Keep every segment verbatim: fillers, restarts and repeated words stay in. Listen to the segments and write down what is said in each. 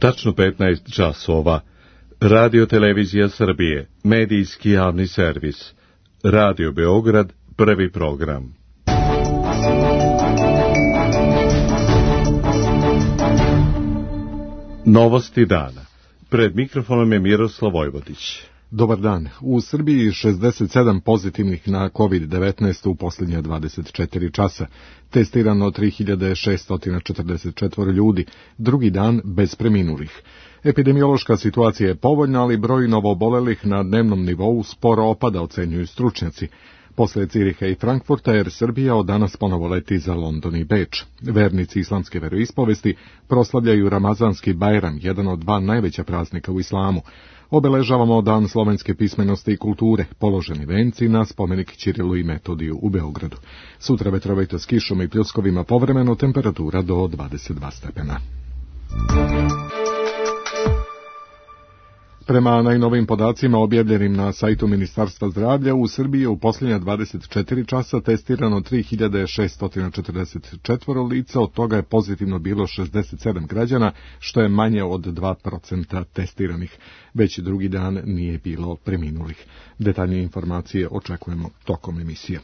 Tačno petnaest časova. Radio Televizija Srbije, medijski javni servis. Radio Beograd, prvi program. Novosti dana. Pred mikrofonom je Miroslav Vojvodić. Dobar dan. U Srbiji šezdeset sedam pozitivnih na kovid devetnaest u posljednje dvadeset četiri časa. Testirano tri hiljade šesto četrdeset četiri ljudi, drugi dan bez preminulih. Epidemiološka situacija je povoljna, ali broj novoobolelih na dnevnom nivou sporo opada, ocenjuju stručnjaci. Posle Ciriha i Frankfurta, Air Srbija od danas ponovo leti za London i Beč. Vernici islamske veroispovesti proslavljaju Ramazanski Bajram, jedan od dva najveća praznika u islamu. Obeležavamo Dan slovenske pismenosti i kulture, položeni venci na spomenik Ćirilu i Metodiju u Beogradu. Sutra vetrovito s kišom i pljuskovima, povremeno temperatura do dvadeset dva stepena. Prema najnovim podacima objavljenim na sajtu Ministarstva zdravlja, u Srbiji je u posljednja dvadeset četiri časa testirano tri hiljade šesto četrdeset četiri lica, od toga je pozitivno bilo šezdeset sedam građana, što je manje od dva procenta testiranih. Već drugi dan nije bilo preminulih. Detaljnije informacije očekujemo tokom emisije.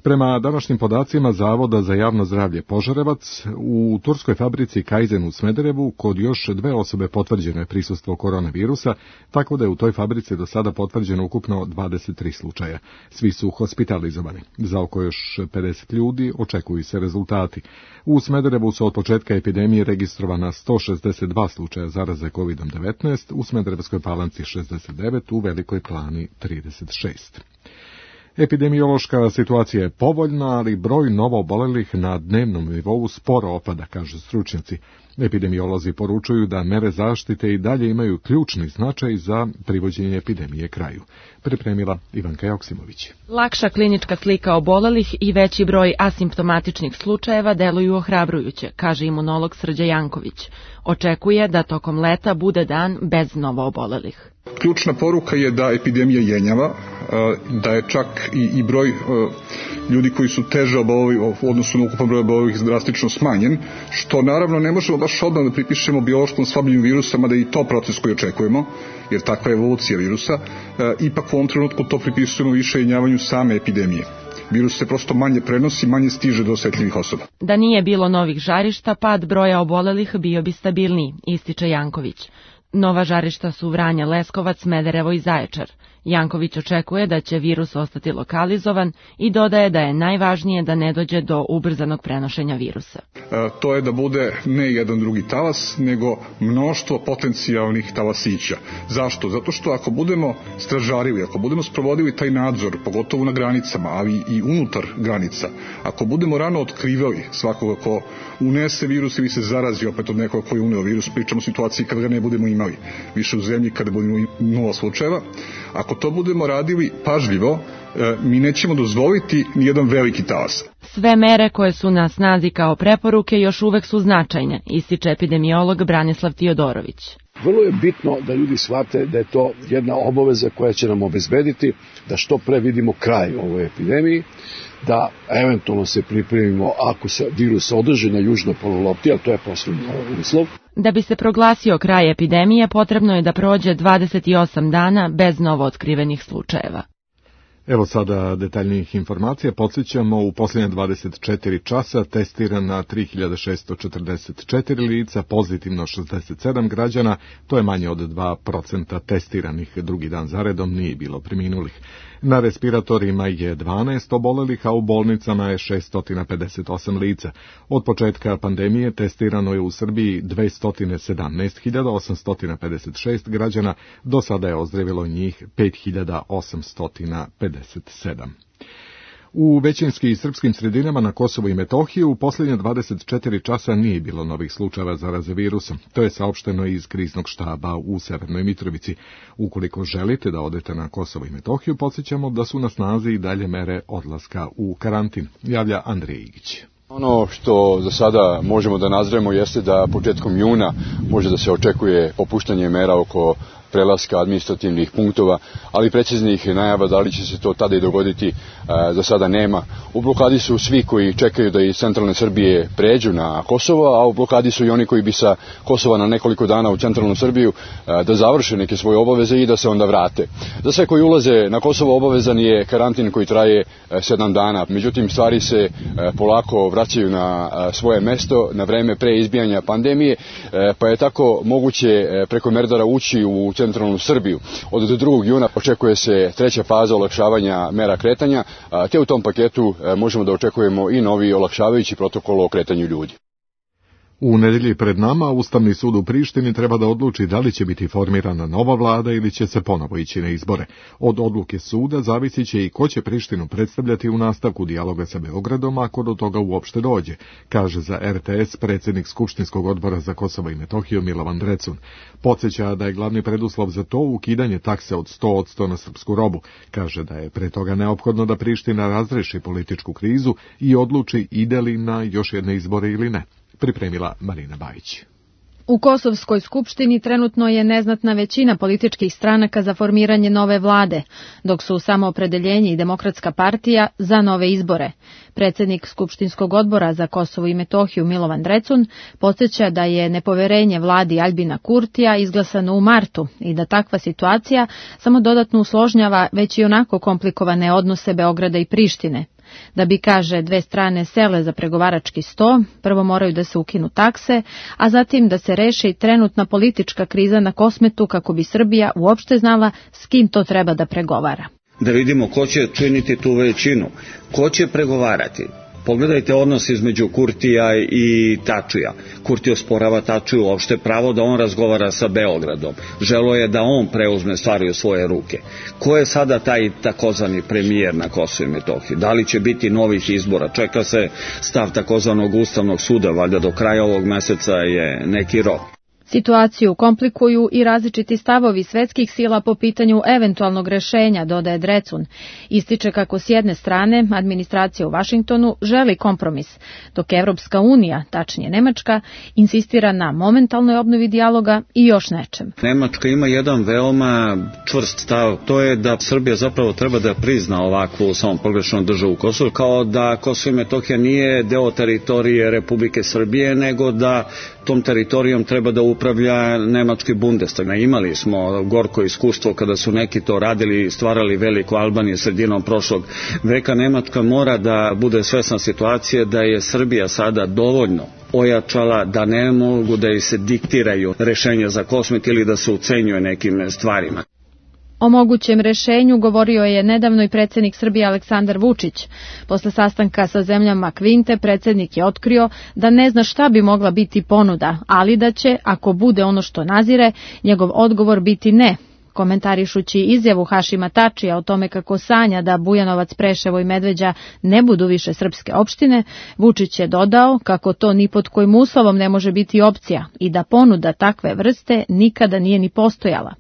Prema današnjim podacima Zavoda za javno zdravlje Požarevac, u turskoj fabrici Kaizen u Smederevu kod još dve osobe potvrđeno je prisustvo koronavirusa, tako da je u toj fabrici do sada potvrđeno ukupno dvadeset tri slučaja. Svi su hospitalizovani. Za oko još pedeset ljudi očekuju se rezultati. U Smederevu su od početka epidemije registrovana sto šezdeset dva slučaja zaraze kovid devetnaest, u Smederevskoj Palanci šezdeset devet, u Velikoj Plani trideset šest. Epidemiološka situacija je povoljna, ali broj novoobolelih na dnevnom nivou sporo opada, kažu stručnjaci. Epidemiolozi poručuju da mere zaštite i dalje imaju ključni značaj za privođenje epidemije kraju. Pripremila Ivanka Joksimović. Lakša klinička slika obolelih i veći broj asimptomatičnih slučajeva deluju ohrabrujuće, kaže imunolog Srđa Janković. Očekuje da tokom leta bude dan bez novoobolelih. Ključna poruka je da epidemija jenjava, da je čak i, i broj ljudi koji su teže oboleli u odnosu na ukupan broj obolelih drastično smanjen, što naravno ne možemo baš odmah da pripišemo biološkom slabljenju virusa, mada i to proces koji očekujemo, jer takva je evolucija virusa. Ipak u ovom trenutku to pripisujemo više jenjavanju same epidemije. Virus se prosto manje prenosi, manje stiže do osetljivih osoba. Da nije bilo novih žarišta, pad broja obolelih bio bi stabilniji, ističe Janković. Nova žarišta su Vranje, Leskovac, Smederevo i Zaječar. Janković očekuje da će virus ostati lokalizovan i dodaje da je najvažnije da ne dođe do ubrzanog prenošenja virusa. E, to je da bude ne jedan drugi talas, nego mnoštvo potencijalnih talasića. Zašto? Zato što ako budemo stražarili, ako budemo sprovodili taj nadzor, pogotovo na granicama, ali i unutar granica, ako budemo rano otkrivali svakoga ko unese virus ili se zarazi opet od nekoga koji je uneo virus, pričamo o situaciji kada ga ne budemo imali više u zemlji, kada budemo nula slučajeva. Ako to budemo radili pažljivo, mi nećemo dozvoliti nijedan veliki talas. Sve mere koje su na snazi kao preporuke još uvek su značajne, ističe epidemiolog Branislav Tiodorović. Vrlo je bitno da ljudi shvate da je to jedna obaveza koja će nam obezbediti da što pre vidimo kraj ovoj epidemiji, da eventualno se pripremimo ako se virus održi na južnoj polulopti, a to je poslednji uslov. Da bi se proglasio kraj epidemije, potrebno je da prođe dvadeset osam dana bez novootkrivenih slučajeva. Evo sada detaljnijih informacija. Podsjećamo, u posljednje dvadeset četiri časa testirana tri hiljade šesto četrdeset četiri lica, pozitivno šezdeset sedam građana, to je manje od dva procenta testiranih. Drugi dan zaredom nije bilo preminulih. Na respiratorima je dvanaest obolelih, a u bolnicama je šesto pedeset osam lica. Od početka pandemije testirano je u Srbiji dvesta sedamnaest hiljada osamsto pedeset šest građana, do sada je ozdravilo njih pet hiljada osamsto pedeset sedam. U većinski srpskim sredinama na Kosovu i Metohiji u posljednje dvadeset četiri časa nije bilo novih slučajeva zaraze virusom. To je saopšteno iz kriznog štaba u Severnoj Mitrovici. Ukoliko želite da odete na Kosovo i Metohiju, podsjećamo da su na snazi i dalje mere odlaska u karantin, javlja Andrej Igić. Ono što za sada možemo da nazremo jeste da početkom juna može da se očekuje popuštanje mera oko prelaska administrativnih punktova, ali preciznih najava da li će se to tada i dogoditi za sada nema. U blokadi su svi koji čekaju da iz centralne Srbije pređu na Kosovo, a u blokadi su i oni koji bi sa Kosova na nekoliko dana u centralnu Srbiju da završe neke svoje obaveze i da se onda vrate. Za sve koji ulaze na Kosovo obavezan je karantin koji traje sedam dana. Međutim, stvari se polako vraćaju na svoje mesto na vreme pre izbijanja pandemije, pa je tako moguće preko Merdara ući u centralnu Srbiju. Od drugog juna očekuje se treća faza olakšavanja mera kretanja, te u tom paketu možemo da očekujemo i novi olakšavajući protokol o kretanju ljudi. U nedelji pred nama Ustavni sud u Prištini treba da odluči da li će biti formirana nova vlada ili će se ponovo ići na izbore. Od odluke suda zavisit će i ko će Prištinu predstavljati u nastavku dijaloga sa Beogradom ako do toga uopšte dođe, kaže za R T S predsjednik Skupštinskog odbora za Kosovo i Metohiju Milovan Drecun. Podsjeća da je glavni preduslov za to ukidanje takse od sto posto na srpsku robu. Kaže da je pre toga neophodno da Priština razreši političku krizu i odluči ide li na još jedne izbore ili ne. Pripremila Marina Bajić. U Kosovskoj skupštini trenutno je neznatna većina političkih stranaka za formiranje nove vlade, dok su Samoopredeljenje i Demokratska partija za nove izbore. Predsjednik Skupštinskog odbora za Kosovo i Metohiju Milovan Drecun podsjeća da je nepoverenje vladi Aljbina Kurtija izglasano u martu i da takva situacija samo dodatno usložnjava već i onako komplikovane odnose Beograda i Prištine. Da bi, kaže, dve strane sele za pregovarački sto, prvo moraju da se ukinu takse, a zatim da se reši trenutna politička kriza na Kosmetu kako bi Srbija uopšte znala s kim to treba da pregovara. Da vidimo ko će činiti tu većinu, ko će pregovarati. Pogledajte odnos između Kurtija i Tačija. Kurti osporava Tačiju uopšte pravo da on razgovara sa Beogradom. Želo je da on preuzme stvari u svoje ruke. Ko je sada taj takozvani premijer na Kosovu i Metohiji? Da li će biti novih izbora? Čeka se stav takozvanog Ustavnog suda, valjda do kraja ovog meseca je neki rok. Situaciju komplikuju i različiti stavovi svetskih sila po pitanju eventualnog rešenja, dodaje Drecun. Ističe kako s jedne strane administracija u Vašingtonu želi kompromis, dok Evropska unija, tačnije Nemačka, insistira na momentalnoj obnovi dijaloga i još nečem. Nemačka ima jedan veoma čvrst stav, to je da Srbija zapravo treba da prizna ovakvu samoproglašenu državu Kosovo, kao da Kosovo i Metohija nije deo teritorije Republike Srbije, nego da tom teritorijom treba da upravlja nemački Bundestag. Imali smo gorko iskustvo kada su neki to radili i stvarali veliku Albaniju sredinom prošlog veka. Nemačka mora da bude svesna situacije da je Srbija sada dovoljno ojačala da ne mogu da i se diktiraju rešenja za Kosmet ili da se ucenjuje nekim stvarima. O mogućem rešenju govorio je nedavno i predsjednik Srbije Aleksandar Vučić. Posle sastanka sa zemljama Kvinte, predsjednik je otkrio da ne zna šta bi mogla biti ponuda, ali da će, ako bude ono što nazire, njegov odgovor biti ne. Komentarišući izjavu Hašima Tačija o tome kako sanja da Bujanovac, Preševo i Medveđa ne budu više srpske opštine, Vučić je dodao kako to ni pod kojim uslovom ne može biti opcija i da ponuda takve vrste nikada nije ni postojala.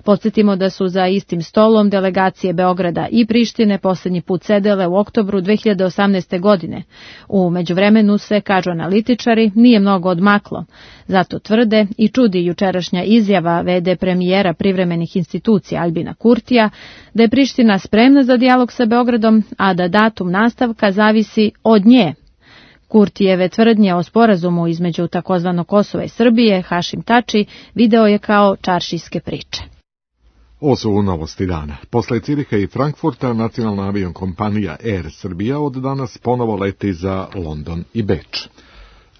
Podsjetimo da su za istim stolom delegacije Beograda i Prištine posljednji put sedele u oktobru dve hiljade osamnaeste. godine. U međuvremenu se, kažu analitičari, nije mnogo odmaklo. Zato tvrde i čudi jučerašnja izjava ve de premijera privremenih institucija Aljbina Kurtija da je Priština spremna za dijalog sa Beogradom, a da datum nastavka zavisi od nje. Kurtijeve tvrdnje o sporazumu između takozvano Kosova i Srbije, Hašim Tači, video je kao čaršijske priče. Ovo su novosti dana. Posle Ciriha i Frankfurta, nacionalna avionkompanija Air Srbija od danas ponovo leti za London i Beč.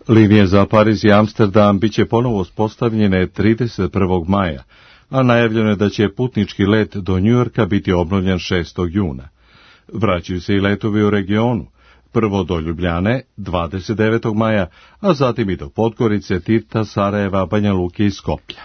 Linije za Pariz i Amsterdam biće ponovo uspostavljene trideset prvog maja, a najavljeno je da će putnički let do Njujorka biti obnovljen šestog juna. Vraćaju se i letovi u regionu. Prvo do Ljubljane, dvadeset devetog maja, a zatim i do Podgorice, Tirta, Sarajeva, Banja Luke i Skoplja.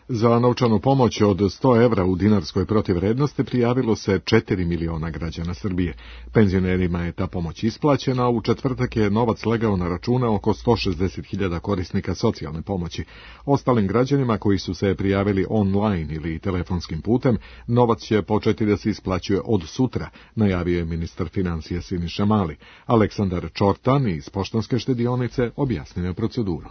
Za novčanu pomoć od sto evra u dinarskoj protivvrednosti prijavilo se četiri miliona građana Srbije. Penzionerima je ta pomoć isplaćena, a u četvrtak je novac legao na račune oko sto šezdeset hiljada korisnika socijalne pomoći. Ostalim građanima koji su se prijavili online ili telefonskim putem, novac će početi da se isplaćuje od sutra, najavio je ministar financija Siniša Mali. Aleksandar Čortan iz Poštanske štedionice objasnio je proceduru.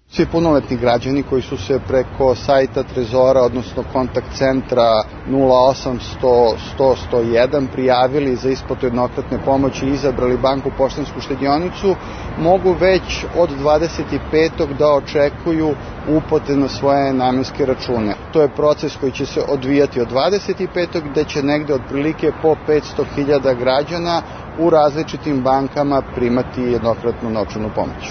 Svi punoletni građani koji su se preko sajta Trezora, odnosno kontakt centra nula osam sto sto sto jedan prijavili za isplatu jednokratne pomoći i izabrali banku Poštansku štedionicu, mogu već od dvadeset petog da očekuju uplate na svoje namenske račune. To je proces koji će se odvijati od dvadeset petog gde će negde otprilike po petsto hiljada građana u različitim bankama primati jednokratnu novčanu pomoć.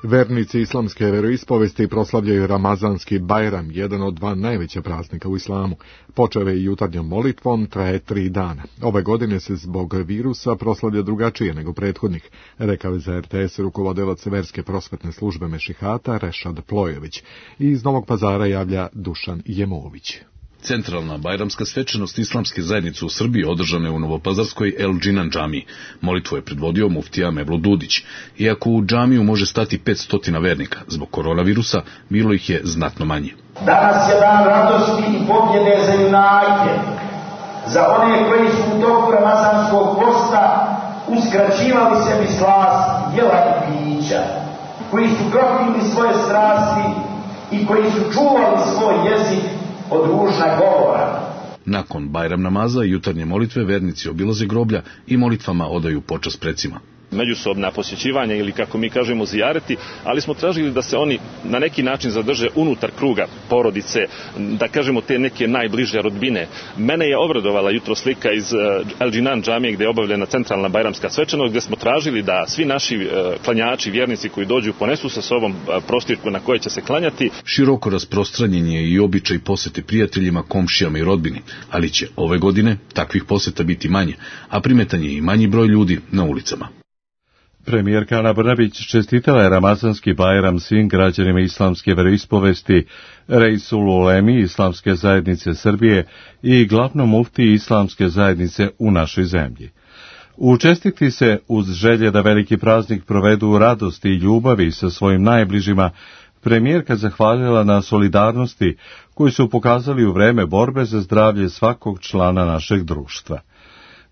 Vernici islamske veroispovesti proslavljaju Ramazanski Bajram, jedan od dva najveća praznika u islamu. Počeo je jutarnjom molitvom, traje tri dana. Ove godine se zbog virusa proslavlja drugačije nego prethodnih, rekao je za er te es rukovodilac verske prosvetne službe Mešihata Rešad Plojević. I iz Novog Pazara javlja Dušan Jemović. Centralna bajramska svečanost islamske zajednice u Srbiji održana je u Novopazarskoj El Džinan džamiji. Molitvu je predvodio muftija Mevlo Dudić. Iako u džamiju može stati petsto vernika, zbog koronavirusa bilo ih je znatno manje. Danas je dan radosti i pobjede za junake, za one koji su u toku ramazanskog posta uskraćivali sebi slast jela i pića, koji su krotili svoje strasti i koji su čuvali svoj jezik od ružna govora. Nakon Bajram namaza i jutarnje molitve vernici obilaze groblja i molitvama odaju počast precima. Međusobna posjećivanja ili kako mi kažemo zijareti, ali smo tražili da se oni na neki način zadrže unutar kruga porodice, da kažemo te neke najbliže rodbine. Mene je obradovala jutro slika iz El Džinan džamije gdje je obavljena centralna bajramska svečanost, gdje smo tražili da svi naši klanjači, vjernici koji dođu ponesu sa sobom prostirku na koje će se klanjati. Široko rasprostranjen je i običaj posete prijateljima, komšijama i rodbini, ali će ove godine takvih poseta biti manje, a primetan je i manji broj ljudi na ulicama. Premijerka Ana Brnabić čestitala je Ramazanski Bajram svim građanima islamske veroispovesti, Reisul Ulemi Islamske zajednice Srbije i glavnom muftiji Islamske zajednice u našoj zemlji. U čestitki se, uz želje da veliki praznik provedu u radosti i ljubavi sa svojim najbližima, premijerka zahvalila na solidarnosti koju su pokazali u vreme borbe za zdravlje svakog člana našeg društva.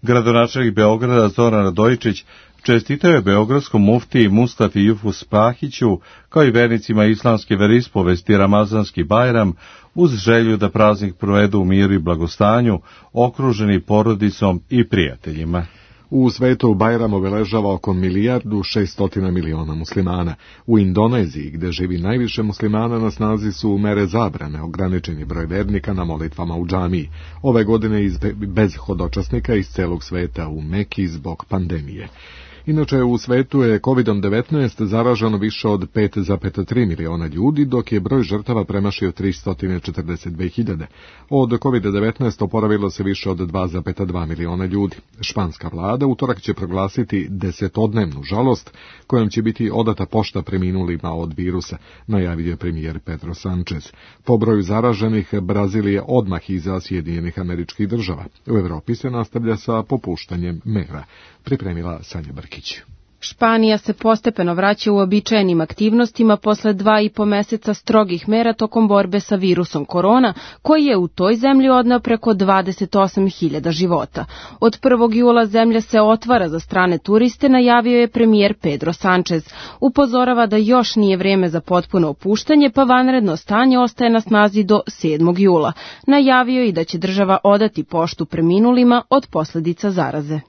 Gradonačelnik Beograda Zoran Radojičić čestitao je beogradskom muftiji Mustafi Jufus Pahiću, kao i vernicima islamske veroispovesti Ramazanski Bajram, uz želju da praznik provedu u miru i blagostanju, okruženi porodicom i prijateljima. U svetu Bajram obeležava oko milijardu šeststotina miliona muslimana. U Indoneziji, gde živi najviše muslimana, na snazi su mere zabrane, ograničeni broj vernika na molitvama u džamiji. Ove godine bez hodočasnika iz celog sveta u Meki zbog pandemije. Inače, u svetu je kovidom devetnaest zaraženo više od pet zarez tri miliona ljudi, dok je broj žrtava premašio tristo četrdeset dve hiljade. Od kovida devetnaest oporavilo se više od dva zarez dva miliona ljudi. Španska vlada utorak će proglasiti desetodnevnu žalost, kojom će biti odata pošta preminulima od virusa, najavio je premijer Pedro Sanchez. Po broju zaraženih, Brazil je odmah iza Sjedinjenih Američkih Država. U Evropi se nastavlja sa popuštanjem mera. Pripremila Sanja Brkić. Španija se postepeno vraća u običajenim aktivnostima posle dva i po meseca strogih mera tokom borbe sa virusom korona, koji je u toj zemlji odneo preko dvadeset osam hiljada života. Od prvog jula zemlja se otvara za strane turiste, najavio je premijer Pedro Sanchez. Upozorava da još nije vreme za potpuno opuštanje, pa vanredno stanje ostaje na snazi do sedmog jula. Najavio i da će država odati poštu preminulima od posljedica zaraze.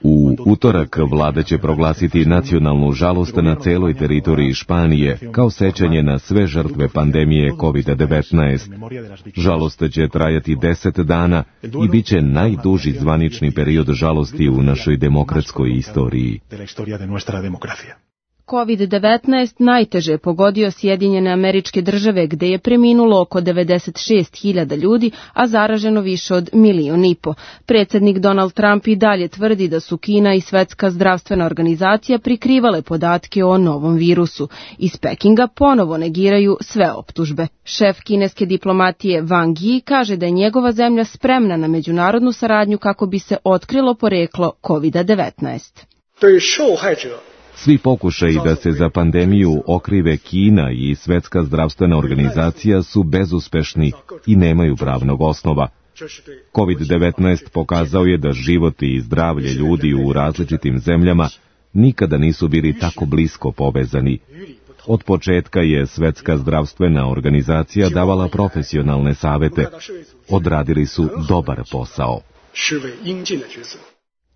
U utorak vlada će proglasiti nacionalnu žalost na celoj teritoriji Španije kao sećanje na sve žrtve pandemije kovida devetnaest. Žalost će trajati deset dana i bit će najduži zvanični period žalosti u našoj demokratskoj istoriji. kovid devetnaest najteže je pogodio Sjedinjene Američke Države, gde je preminulo oko devedeset šest hiljada ljudi, a zaraženo više od milion i po. Predsjednik Donald Trump i dalje tvrdi da su Kina i Svetska zdravstvena organizacija prikrivale podatke o novom virusu. Iz Pekinga ponovo negiraju sve optužbe. Šef kineske diplomatije Wang Yi kaže da je njegova zemlja spremna na međunarodnu saradnju kako bi se otkrilo poreklo kovid devetnaest. Svi pokušaji da se za pandemiju okrive Kina i Svetska zdravstvena organizacija su bezuspešni i nemaju pravnog osnova. kovid devetnaest pokazao je da život i zdravlje ljudi u različitim zemljama nikada nisu bili tako blisko povezani. Od početka je Svetska zdravstvena organizacija davala profesionalne savete. Odradili su dobar posao.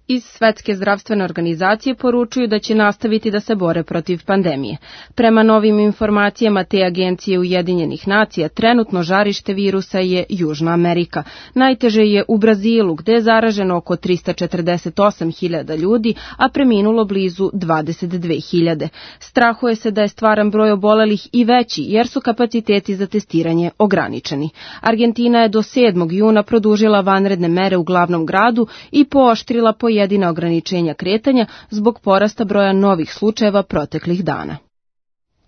Iz Svetske zdravstvene organizacije poručuju da će nastaviti da se bore protiv pandemije. Prema novim informacijama te agencije Ujedinjenih nacija, trenutno žarište virusa je Južna Amerika. Najteže je u Brazilu, gde je zaraženo oko trista četrdeset osam hiljada ljudi, a preminulo blizu dvadeset dve hiljade. Strahuje se da je stvaran broj obolelih i veći, jer su kapaciteti za testiranje ograničeni. Argentina je do sedmog juna produžila vanredne mere u glavnom gradu i pooštrila po jedina ograničenja kretanja zbog porasta broja novih slučajeva proteklih dana.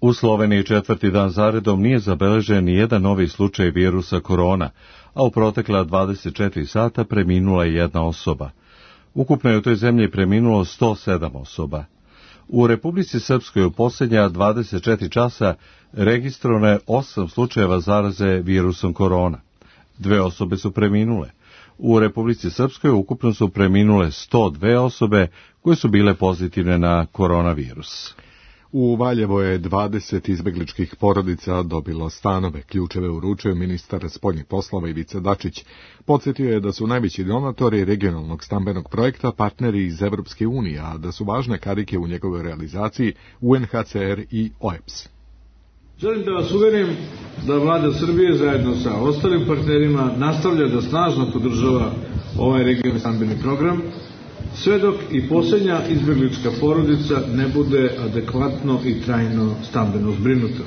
U Sloveniji četvrti dan zaredom nije zabeležen ni jedan novi slučaj virusa korona, a u protekla dvadeset četiri sata preminula je jedna osoba. Ukupno je u toj zemlji preminulo sto sedam osoba. U Republici Srpskoj u posljednja dvadeset četiri časa registrovano je osam slučajeva zaraze virusom korona. Dve osobe su preminule. U Republici Srpskoj ukupno su preminule sto dve osobe koje su bile pozitivne na koronavirus. U Valjevo je dvadeset izbegličkih porodica dobilo stanove. Ključeve uručio ministar spoljnih poslova Ivica Dačić. Podsjetio je da su najveći donatori regionalnog stambenog projekta partneri iz Evropske unije, a da su važne karike u njegovoj realizaciji U N H C R i O E B S. Želim da vas uverim da vlada Srbije zajedno sa ostalim partnerima nastavlja da snažno podržava ovaj regionalni stambeni program, sve dok i posljednja izbeglička porodica ne bude adekvatno i trajno stambeno zbrinuta,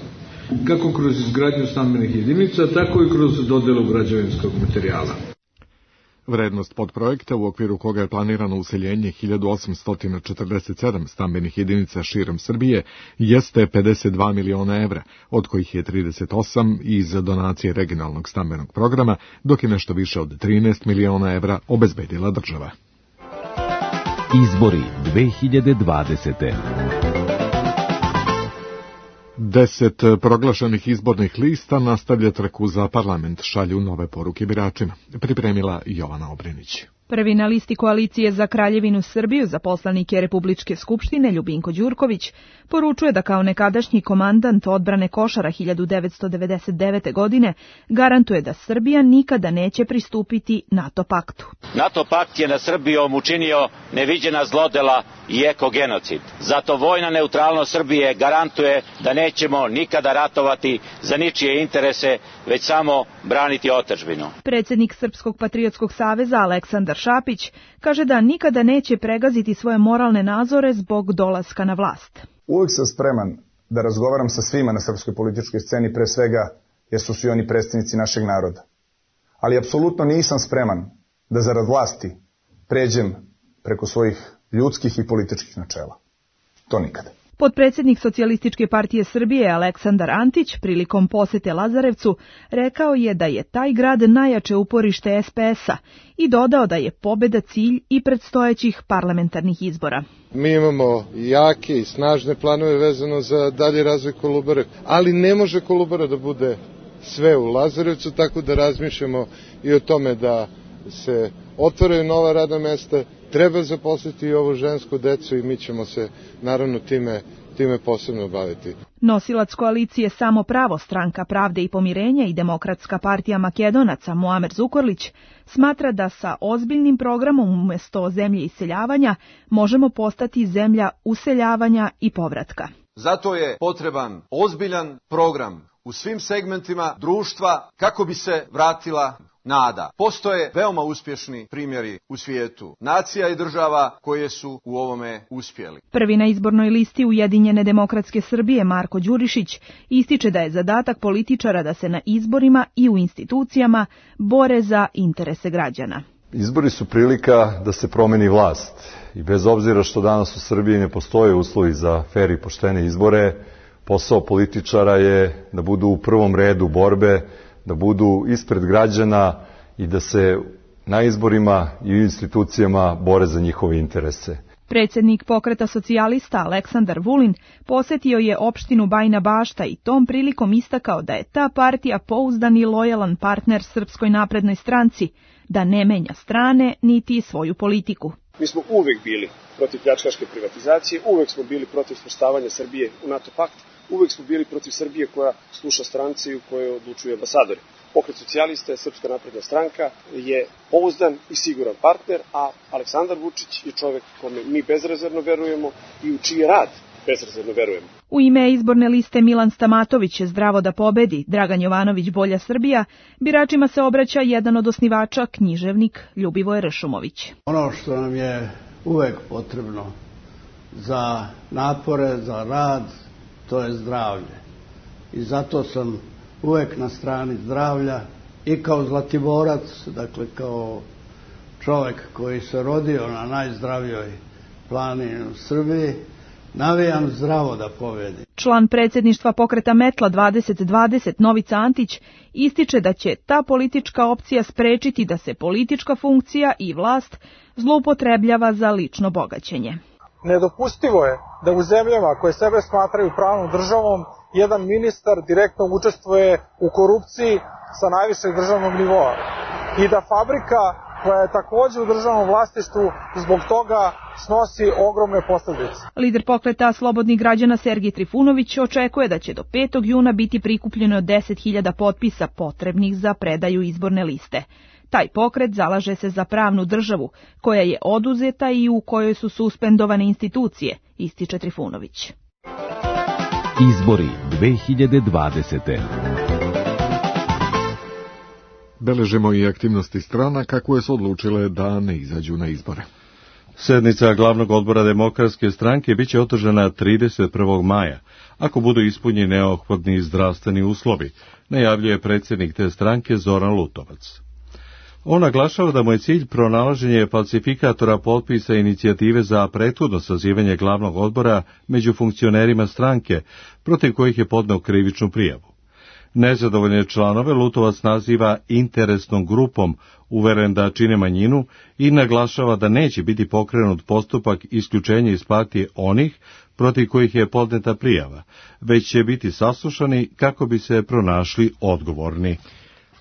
kako kroz izgradnju stambenih jedinica, tako i kroz dodelu građevinskog materijala. Vrednost podprojekta, u okviru koga je planirano useljenje hiljadu osamsto četrdeset sedam stambenih jedinica širom Srbije, jeste pedeset dva miliona evra, od kojih je trideset osam iz donacije regionalnog stambenog programa, dok je nešto više od trinaest miliona evra obezbedila država. Izbori dve hiljade dvadesete. Deset proglašenih izbornih lista nastavlja trku za parlament, šalju nove poruke biračima. Pripremila Jovana Obrenić. Prvi na listi koalicije za Kraljevinu Srbiju za poslanike Republičke skupštine Ljubinko Đurković poručuje da kao nekadašnji komandant odbrane Košara hiljadu devetsto devedeset devete. godine garantuje da Srbija nikada neće pristupiti NATO paktu. NATO pakt je na Srbijom učinio neviđena zlodela i ekogenocid. Zato vojna neutralnost Srbije garantuje da nećemo nikada ratovati za ničije interese, već samo braniti otadžbinu. Predsjednik Srpskog patriotskog saveza Aleksandar Šapić kaže da nikada neće pregaziti svoje moralne nazore zbog dolaska na vlast. Uvijek sam spreman da razgovaram sa svima na srpskoj političkoj sceni, pre svega jer su svi oni predstavnici našeg naroda. Ali apsolutno nisam spreman da zarad vlasti pređem preko svojih ljudskih i političkih načela. To nikada. Potpredsjednik Socijalističke partije Srbije Aleksandar Antić prilikom posete Lazarevcu rekao je da je taj grad najjače uporište S P S-a i dodao da je pobeda cilj i predstojećih parlamentarnih izbora. Mi imamo jake i snažne planove vezano za dalji razvoj Kolubare, ali ne može Kolubara da bude sve u Lazarevcu, tako da razmišljamo i o tome da se otvaraju nova radna mesta, treba zaposliti i ovu žensku decu i mi ćemo se naravno time, time posebno baviti. Nosilac koalicije Samo pravo, Stranka pravde i pomirenja i Demokratska partija Makedonaca Muamer Zukorlić smatra da sa ozbiljnim programom umjesto zemlje iseljavanja možemo postati zemlja useljavanja i povratka. Zato je potreban ozbiljan program u svim segmentima društva kako bi se vratila nada. Postoje veoma uspješni primjeri u svijetu, nacija i država koje su u ovome uspjeli. Prvi na izbornoj listi Ujedinjene demokratske Srbije Marko Đurišić ističe da je zadatak političara da se na izborima i u institucijama bore za interese građana. Izbori su prilika da se promeni vlast i bez obzira što danas u Srbiji ne postoje uslovi za fer i poštene izbore, posao političara je da budu u prvom redu borbe, da budu ispred građana i da se na izborima i u institucijama bore za njihove interese. Predsjednik Pokreta socijalista Aleksandar Vulin posjetio je opštinu Bajina Bašta i tom prilikom istakao da je ta partija pouzdan i lojalan partner Srpskoj naprednoj stranci, da ne menja strane niti svoju politiku. Mi smo uvek bili protiv pljačkaške privatizacije, uvek smo bili protiv svrstavanja Srbije u NATO pakt, uvek smo bili protiv Srbije koja sluša stranci u kojoj odlučuju ambasadori. Pokret socijalista, Srpska napredna stranka je pouzdan i siguran partner, a Aleksandar Vučić je čovek kome mi bezrezervno verujemo i u čiji rad bezrezervno verujemo. U ime izborne liste Milan Stamatović, Zdravo da pobedi, Dragan Jovanović, Bolja Srbija, biračima se obraća jedan od osnivača, književnik Ljubivoje Ršumović. Ono što nam je uvek potrebno za napore, za rad, to je zdravlje. I zato sam uvek na strani zdravlja i kao Zlatiborac, dakle kao čovek koji se rodio na najzdravijoj planini u Srbiji, navijam zdravo da pobedi. Član predsjedništva pokreta Metla dvadeset dvadeset Novica Antić ističe da će ta politička opcija sprečiti da se politička funkcija i vlast zloupotrebljava za lično bogaćenje. Nedopustivo je da u zemljama koje sebe smatraju pravnom državom jedan ministar direktno učestvuje u korupciji sa najvišeg državnog nivoa i da fabrika koja je također u državnom vlasništvu zbog toga snosi ogromne posljedice. Lider pokreta Slobodnih građana Sergij Trifunović očekuje da će do petog juna biti prikupljeno deset hiljada potpisa potrebnih za predaju izborne liste. Taj pokret zalaže se za pravnu državu, koja je oduzeta i u kojoj su suspendovane institucije, ističe Trifunović. Izbori dve hiljade dvadesete. Beležimo i aktivnosti stranaka koje su odlučile da ne izađu na izbore. Sednica glavnog odbora Demokratske stranke biće održana trideset prvog maja, ako budu ispunjeni neophodni zdravstveni uslovi, najavljuje predsjednik te stranke Zoran Lutovac. On naglašava da mu je cilj pronalaženje falsifikatora potpisa inicijative za prethodno sazivanje glavnog odbora među funkcionerima stranke, protiv kojih je podneo krivičnu prijavu. Nezadovoljne članove Lutovac naziva interesnom grupom, uveren da čine manjinu, i naglašava da neće biti pokrenut postupak isključenja iz partije onih protiv kojih je podneta prijava, već će biti saslušani kako bi se pronašli odgovorni.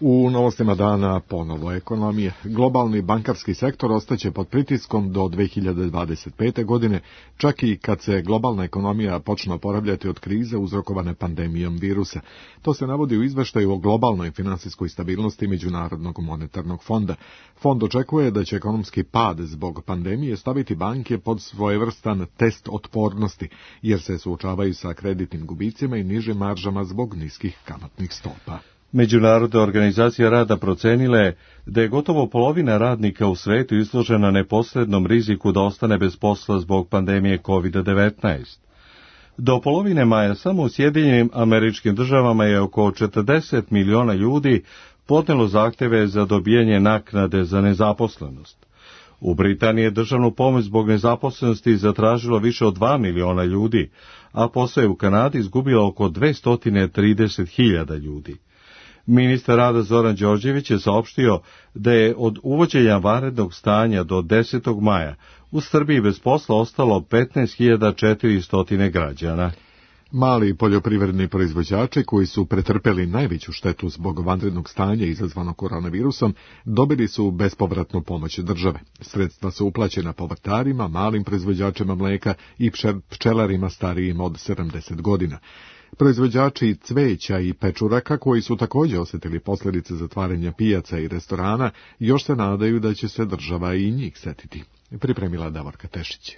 U novostima dana ponovo ekonomije. Globalni bankarski sektor ostaće pod pritiskom do dve hiljade dvadeset pete. godine, čak i kad se globalna ekonomija počne oporavljati od krize uzrokovane pandemijom virusa. To se navodi u izveštaju o globalnoj finansijskoj stabilnosti Međunarodnog monetarnog fonda. Fond očekuje da će ekonomski pad zbog pandemije staviti banke pod svojevrstan test otpornosti, jer se suočavaju sa kreditnim gubicima i nižim maržama zbog niskih kamatnih stopa. Međunarodna organizacija rada procenile da je gotovo polovina radnika u svetu izložena neposrednom riziku da ostane bez posla zbog pandemije kovid devetnaest. Do polovine maja samo u Sjedinjenim Američkim Državama je oko četrdeset miliona ljudi podnelo zahtjeve za dobijanje naknade za nezaposlenost. U Britaniji je državnu pomoć zbog nezaposlenosti zatražilo više od dva miliona ljudi, a posao je u Kanadi izgubilo oko dvesta trideset hiljada ljudi. Ministar rada Zoran Đorđević je saopštio da je od uvođenja vanrednog stanja do desetog maja u Srbiji bez posla ostalo petnaest hiljada četiristo građana. Mali poljoprivredni proizvođači koji su pretrpeli najveću štetu zbog vanrednog stanja izazvanog koronavirusom dobili su bespovratnu pomoć države. Sredstva su uplaćena povrtarima, malim proizvođačima mleka i pčelarima starijim od sedamdeset godina. Proizvođači cveća i pečuraka, koji su također osjetili posljedice zatvaranja pijaca i restorana, još se nadaju da će se država i njih setiti. Pripremila Davorka Tešić.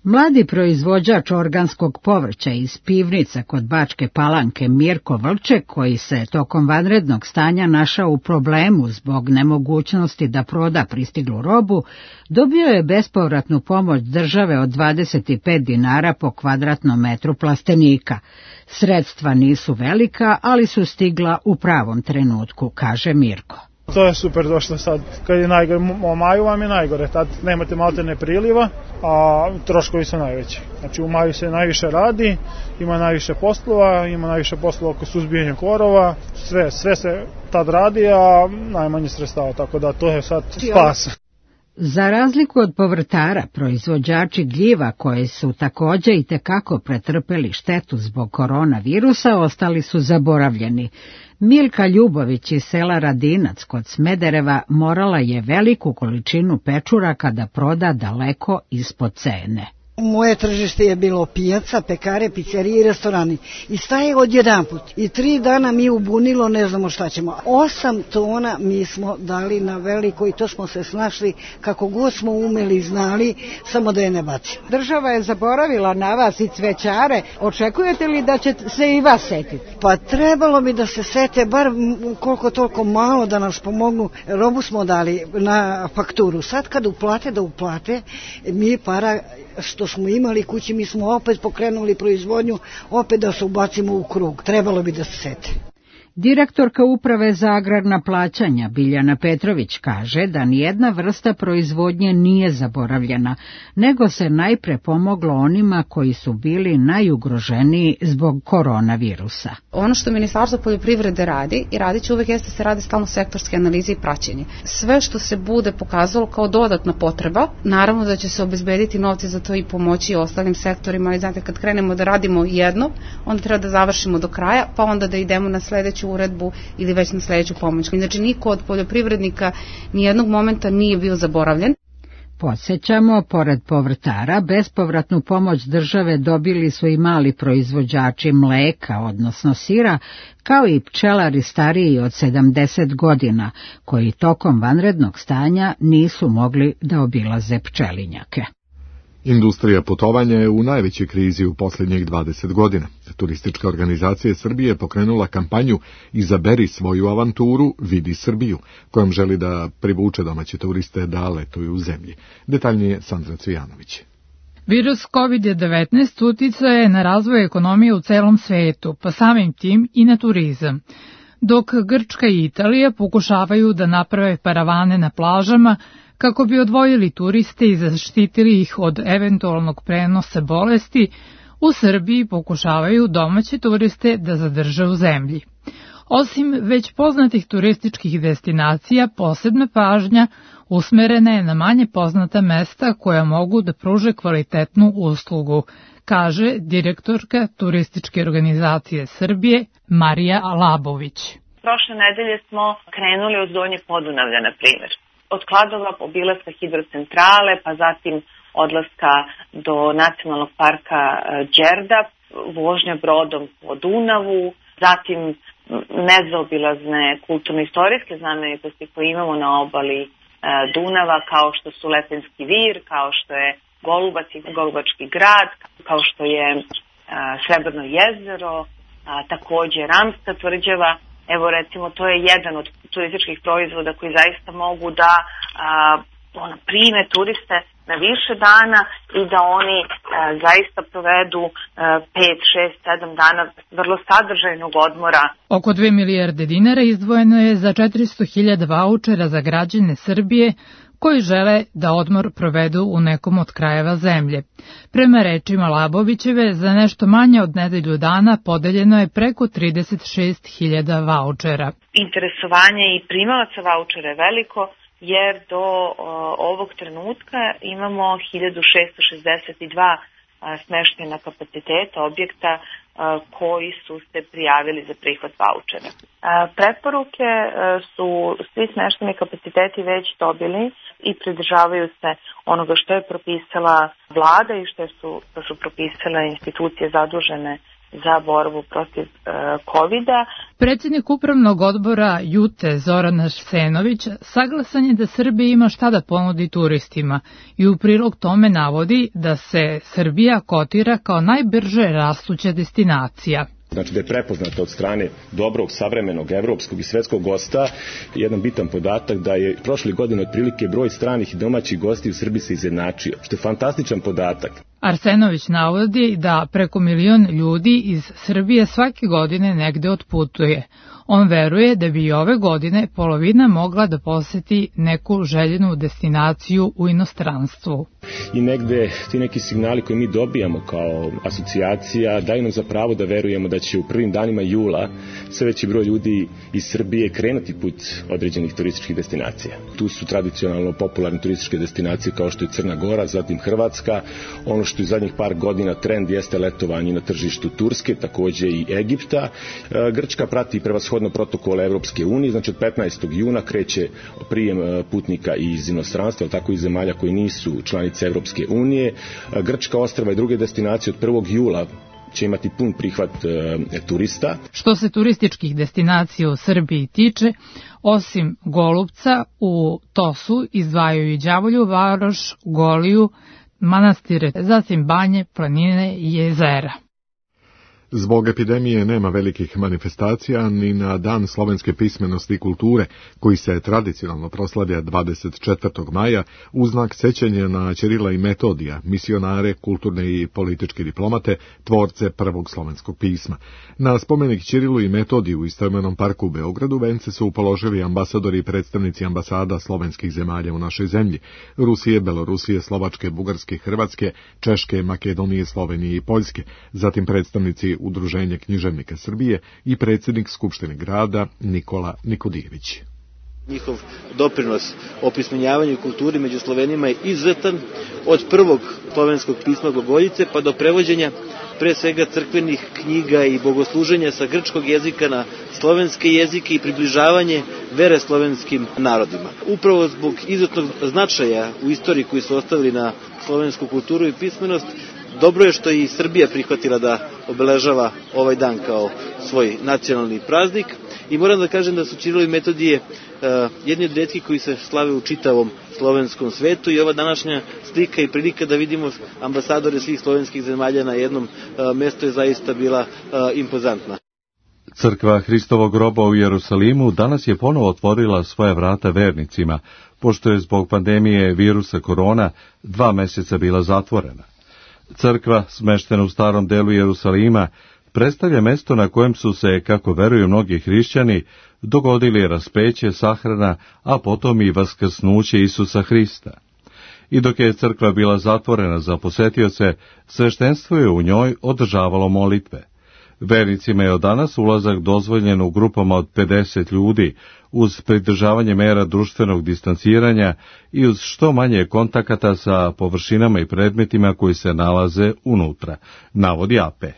Mladi proizvođač organskog povrća iz pivnica kod Bačke Palanke Mirko Vlček, koji se tokom vanrednog stanja našao u problemu zbog nemogućnosti da proda pristiglu robu, dobio je bespovratnu pomoć države od dvadeset pet dinara po kvadratnom metru plastenika. Sredstva nisu velika, ali su stigla u pravom trenutku, kaže Mirko. To je super došlo sad, kad je najgore, u maju vam je najgore, tad nemate maltene priliva, a troškovi su najveći. Znači u maju se najviše radi, ima najviše poslova, ima najviše poslova oko suzbijanja korova, sve, sve se tad radi, a najmanje sredstava, tako da to je sad spas. Za razliku od povrtara, proizvođači gljiva koji su takođe i tekako pretrpeli štetu zbog koronavirusa ostali su zaboravljeni. Milka Ljubović iz sela Radinac kod Smedereva morala je veliku količinu pečuraka da proda daleko ispod cene. Moje tržište je bilo pijaca, pekare, pizzerije i restorani. I staje odjedanput. I tri dana mi ubunilo, ne znamo šta ćemo. Osam tona mi smo dali na veliko i to smo se snašli kako god smo umeli i znali, samo da je ne bacimo. Država je zaboravila na vas i cvećare. Očekujete li da će se i vas setiti? Pa trebalo bi da se sete, bar koliko toliko malo da nas pomognu. Robu smo dali na fakturu. Sad kad uplate, da uplate, mi para što smo imali kući, mi smo opet pokrenuli proizvodnju, opet da se ubacimo u krug. Trebalo bi da se sete. Direktorka Uprave za agrarna plaćanja Biljana Petrović kaže da nijedna vrsta proizvodnje nije zaboravljena, nego se najpre pomoglo onima koji su bili najugroženiji zbog koronavirusa. Ono što Ministarstvo poljoprivrede radi i radit će uvek jeste se radi stalno sektorske analize i praćenje. Sve što se bude pokazalo kao dodatna potreba, naravno da će se obezbediti novci za to i pomoći ostalim sektorima, ali znate kad krenemo da radimo jedno, onda treba da završimo do kraja, pa onda da idemo na sledeću uredbu ili već na sledeću pomoć. Znači niko od poljoprivrednika nijednog momenta nije bio zaboravljen. Podsjećamo, pored povrtara, bespovratnu pomoć države dobili su i mali proizvođači mleka, odnosno sira, kao i pčelari stariji od sedamdeset godina, koji tokom vanrednog stanja nisu mogli da obilaze pčelinjake. Industrija putovanja je u najvećoj krizi u posljednjih dvadeset godina. Turistička organizacija Srbije je pokrenula kampanju Izaberi svoju avanturu, vidi Srbiju, kojom želi da privuče domaće turiste da letuju u zemlji. Detaljnije Sandra Cvijanović. Virus kovid devetnaest uticao je na razvoj ekonomije u celom svetu, pa samim tim i na turizam. Dok Grčka i Italija pokušavaju da naprave paravane na plažama, kako bi odvojili turiste i zaštitili ih od eventualnog prenosa bolesti, u Srbiji pokušavaju domaće turiste da zadrže u zemlji. Osim već poznatih turističkih destinacija, posebna pažnja usmerena je na manje poznata mesta koja mogu da pruže kvalitetnu uslugu, kaže direktorka Turističke organizacije Srbije Marija Labović. Prošle nedelje smo krenuli od Donje Podunavlja, na primjer. Od Kladova, obilaska hidrocentrale, pa zatim odlaska do nacionalnog parka Đerdap, vožnja brodom po Dunavu, zatim nezaobilazne kulturno-istorijske znamenitosti koje imamo na obali Dunava, kao što su Lepenski vir, kao što je Golubac i Golubački grad, kao što je Srebrno jezero, takođe Ramska tvrđava. Evo recimo, to je jedan od turističkih proizvoda koji zaista mogu da a, ono, prime turiste na više dana i da oni a, zaista provedu pet, šest, sedam dana vrlo sadržajnog odmora. Oko dve milijarde dinara izdvojeno je za četiristo hiljada vaučera za građane Srbije koji žele da odmor provedu u nekom od krajeva zemlje. Prema rečima Labovićeve, za nešto manje od nedelju dana podeljeno je preko trideset šest hiljada vaučera. Interesovanje i primalaca vaučera je veliko, jer do o, ovog trenutka imamo hiljadu šesto šezdeset dva smeštajna kapaciteta objekta koji su se prijavili za prihvat vaučera. Preporuke su svi smeštajni kapaciteti već dobili i pridržavaju se onoga što je propisala vlada i što su, što su propisale institucije zadužene za borbu protiv e, kovida. Predsjednik upravnog odbora Jute Zoran Arsenović saglasan je da Srbija ima šta da ponudi turistima i u prilog tome navodi da se Srbija kotira kao najbrže rastuća destinacija. Znači da je prepoznata od strane dobrog, savremenog, evropskog i svetskog gosta. Jedan bitan podatak da je prošle godine otprilike broj stranih i domaćih gosti u Srbiji se izjednačio, što je fantastičan podatak. Arsenović navodi da preko milion ljudi iz Srbije svake godine negde otputuje. On veruje da bi i ove godine polovina mogla da poseti neku željenu destinaciju u inostranstvu. i negde ti neki signali koje mi dobijamo kao asocijacija daju nam za pravo da verujemo da će u prvim danima jula sve veći broj ljudi iz Srbije krenuti put određenih turističkih destinacija. Tu su tradicionalno popularne turističke destinacije kao što je Crna Gora, zatim Hrvatska, ono što je zadnjih par godina trend jeste letovanje na tržištu Turske, takođe i Egipta. Grčka prati prevashodno protokol Evropske unije, znači od petnaestog juna kreće prijem putnika iz inostranstva, tako i zemalja koji nisu članice Evropske unije. Grčka ostrva i druge destinacije od prvog jula će imati pun prihvat e, turista. Što se turističkih destinacija u Srbiji tiče, osim Golubca, u Tosu izdvajaju i Đavolju, Varoš, Goliju, manastire, zatim Banje, planine i jezera. Zbog epidemije nema velikih manifestacija ni na Dan slovenske pismenosti i kulture, koji se tradicionalno proslavlja dvadeset četvrtog maja u znak sećanja na Ćirila i Metodija, misionare, kulturne i političke diplomate, tvorce prvog slovenskog pisma. Na spomenik Ćirilu i Metodiju u istoimenom parku u Beogradu vence su položili ambasadori i predstavnici ambasada slovenskih zemalja u našoj zemlji, Rusije, Belorusije, Slovačke, Bugarske, Hrvatske, Češke, Makedonije, Slovenije i Poljske, zatim predstavnici Udruženja književnika Srbije i predsjednik Skupštine grada Nikola Nikodijević. Njihov doprinos opismenjavanju i kulturi među Slovenima je izuzetan, od prvog slovenskog pisma glagoljice pa do prevođenja pre svega crkvenih knjiga i bogosluženja sa grčkog jezika na slovenske jezike i približavanje vere slovenskim narodima. Upravo zbog izuzetnog značaja u istoriji koji su ostavili na slovensku kulturu i pismenost, dobro je što i Srbija prihvatila da obeležava ovaj dan kao svoj nacionalni praznik i moram da kažem da su Ćirilo i Metodije uh, jedni od retkih koji se slave u čitavom slovenskom svetu i ova današnja slika i prilika da vidimo ambasadore svih slovenskih zemalja na jednom uh, mestu je zaista bila uh, impozantna. Crkva Hristovog groba u Jerusalimu danas je ponovo otvorila svoje vrata vernicima, pošto je zbog pandemije virusa korona dva meseca bila zatvorena. Crkva, smeštena u starom delu Jerusalima, predstavlja mesto na kojem su se, kako veruju mnogi hrišćani, dogodili raspeće, sahrana, a potom i vaskrsnuće Isusa Hrista. I dok je crkva bila zatvorena za posetioce, sveštenstvo je u njoj održavalo molitve. Vernicima je od danas ulazak dozvoljen u grupama od pedeset ljudi, uz pridržavanje mera društvenog distanciranja i uz što manje kontakata sa površinama i predmetima koji se nalaze unutra, navodi A P.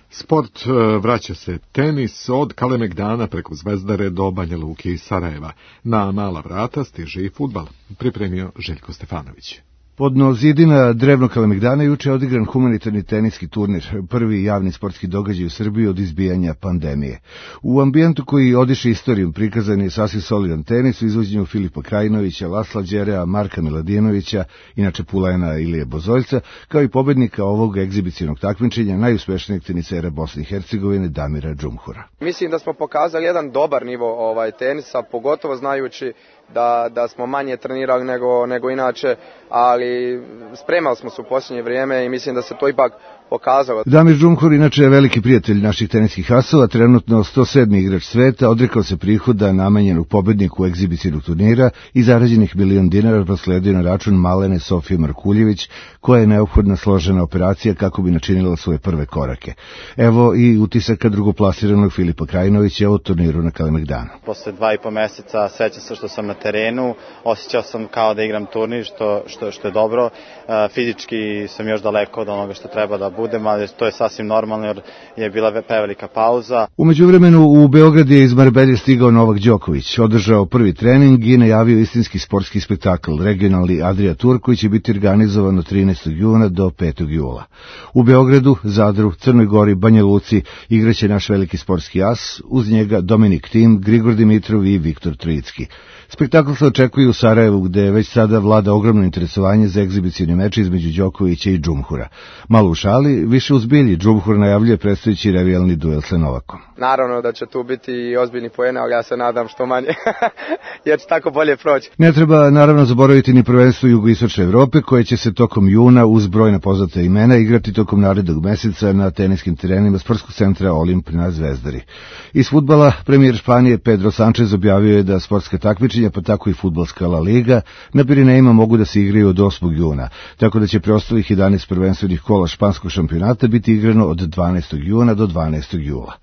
Sport vraća se tenis od Kalemegdana preko Zvezdare do Banja Luke i Sarajeva. Na mala vrata stiže i fudbal, pripremio Željko Stefanović. Podno zidina drevnog Kalemegdana juče je odigran humanitarni teniski turnir, prvi javni sportski događaj u Srbiji od izbijanja pandemije. U ambijentu koji odiše istorijom prikazan je sasvim solidan tenis u izvođenju Filipa Krajinovića, Lasla Đerea, Marka Miladinovića, inače Pulajna Ilije Bozoljca, kao i pobednika ovog egzibicionog takmičenja, najuspešnijeg tenisera Bosne i Hercegovine Damira Džumhura. Mislim da smo pokazali jedan dobar nivo ovaj tenisa, pogotovo znajući da, da smo manje trenirali nego, nego inače, ali spremali smo se u posljednje vrijeme i mislim da se to ipak pokazalo. Damir Džumhur inače je veliki prijatelj naših teniskih asova, trenutno sto sedmi igrač sveta, odrekao se prihoda namenjenog pobedniku egzibicionog turnira i zarađenih milion dinara prosledio na račun malene Sofije Markuljević, koja je neophodna složena operacija kako bi načinila svoje prve korake. Evo i utisaka drugoplasiranog Filipa Krajinovića o turniru na Kalemegdanu. Posle dva i po meseca sećam se što sam na terenu, osjećao sam kao da igram turnir, što, što, što je dobro. Fizički sam još daleko od onoga što treba da budem, ali to je sasvim normalno jer je bila prevelika pauza. U međuvremenu u Beograd je iz Marbelje stigao Novak Đoković, održao prvi trening i najavio istinski sportski spektakl, regionalni Adria Tour, koji će biti organizovan od trinaestog juna do petog jula. U Beogradu, Zadru, Crnoj Gori, Banja Luci igraće naš veliki sportski as, uz njega Dominik Tim, Grigor Dimitrov i Viktor Tricki. Spektakl se očekuje u Sarajevu, gde već sada vlada ogromno interesovanje za egzibicioni meč između Đokovića i Džumhura. Malo u šali, više u zbilji, Džumhur najavljuje predstojeći revijalni duel sa Novakom. Naravno da će tu biti i ozbiljni poeni, ali ja se nadam što manje, jer će tako bolje proći. Ne treba naravno zaboraviti ni prvenstvo jugoistočne Evrope, koje će se tokom juna uz brojna poznata imena igrati tokom narednog meseca na teniskim terenima sportskog centra Olimp na Zvezdari. Iz fudbala premijer Španije Pedro Sanchez objavio je da sportska takmičenja pa tako i fudbalska La Liga, na Pirinejima mogu da se igraju od osmog juna, tako da će preostalih jedanaest prvenstvenih kola španskog šampionata biti igrano od dvanaestog juna do dvanaestog jula.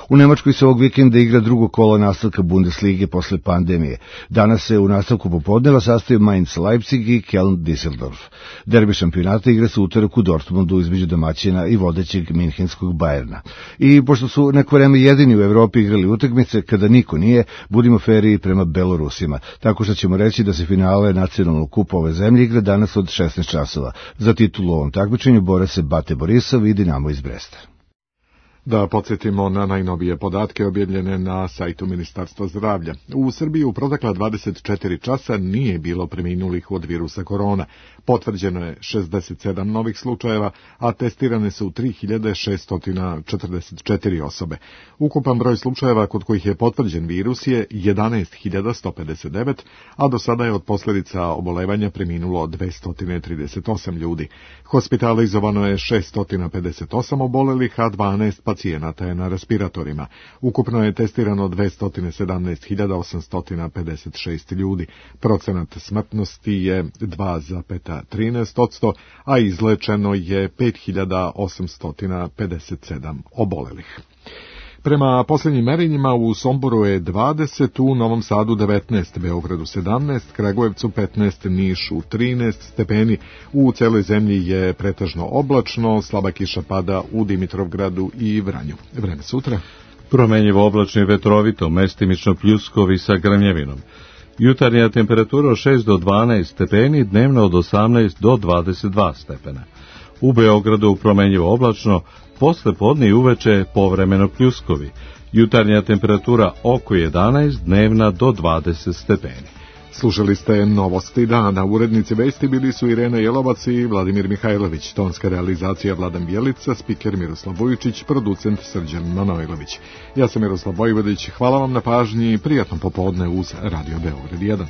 U Nemačkoj se ovog vikenda igra drugo kolo nastavka Bundeslige posle pandemije. Danas se u nastavku popodneva sastaju Mainz Leipzig i Köln Düsseldorf. Derbi šampionata igra se utorak u Dortmundu između domaćina i vodećeg minhenskog Bayerna. I pošto su neko vreme jedini u Evropi igrali utakmice, kada niko nije, budimo feriji prema Belorusima. Tako što ćemo reći da se finale nacionalnog kupa ove zemlje igra danas od šesnaest časova. Za titulu u ovom takmičenju bore se Bate Borisov i Dinamo iz Bresta. Da podsjetimo na najnovije podatke objavljene na sajtu Ministarstva zdravlja. U Srbiji u protekla dvadeset četiri časa nije bilo preminulih od virusa korona. Potvrđeno je šezdeset sedam novih slučajeva, a testirane su tri hiljade šesto četrdeset četiri osobe. Ukupan broj slučajeva kod kojih je potvrđen virus je jedanaest hiljada sto pedeset devet, a do sada je od posljedica obolevanja preminulo dvesta trideset osam ljudi. Hospitalizovano je šesto pedeset osam obolelih, a dvanaest pacijenata je na respiratorima. Ukupno je testirano dvesta sedamnaest hiljada osamsto pedeset šest ljudi. Procenat smrtnosti je dva zarez trinaest posto, a izlečeno je pet hiljada osamsto pedeset sedam obolelih. Prema posljednjim merenjima u Somboru je dvadeset, u Novom Sadu devetnaest, Beogradu sedamnaest, Kragujevcu petnaest, Nišu trinaest stepeni. U celoj zemlji je pretežno oblačno, slaba kiša pada u Dimitrovgradu i Vranju. Vreme sutra. Promenjivo oblačno i vetrovito, mestimično pljuskovi sa grmljavinom. Jutarnja temperatura od šest do dvanaest stepeni, dnevno od osamnaest do dvadeset dva stepena. U Beogradu promenjivo oblačno, posle podne i uveče povremeno pljuskovi. Jutarnja temperatura oko jedanaest, dnevna do dvadeset stepeni. Slušali ste Novosti dana. Urednici vesti bili su Irena Jelovac i Vladimir Mihajlović. Tonska realizacija Vladan Bjelica, spiker Miroslav Vujičić, producent Srđan Manojlović. Ja sam Miroslav Vojvodić. Hvala vam na pažnji i prijatno popodne uz Radio Beograd jedan.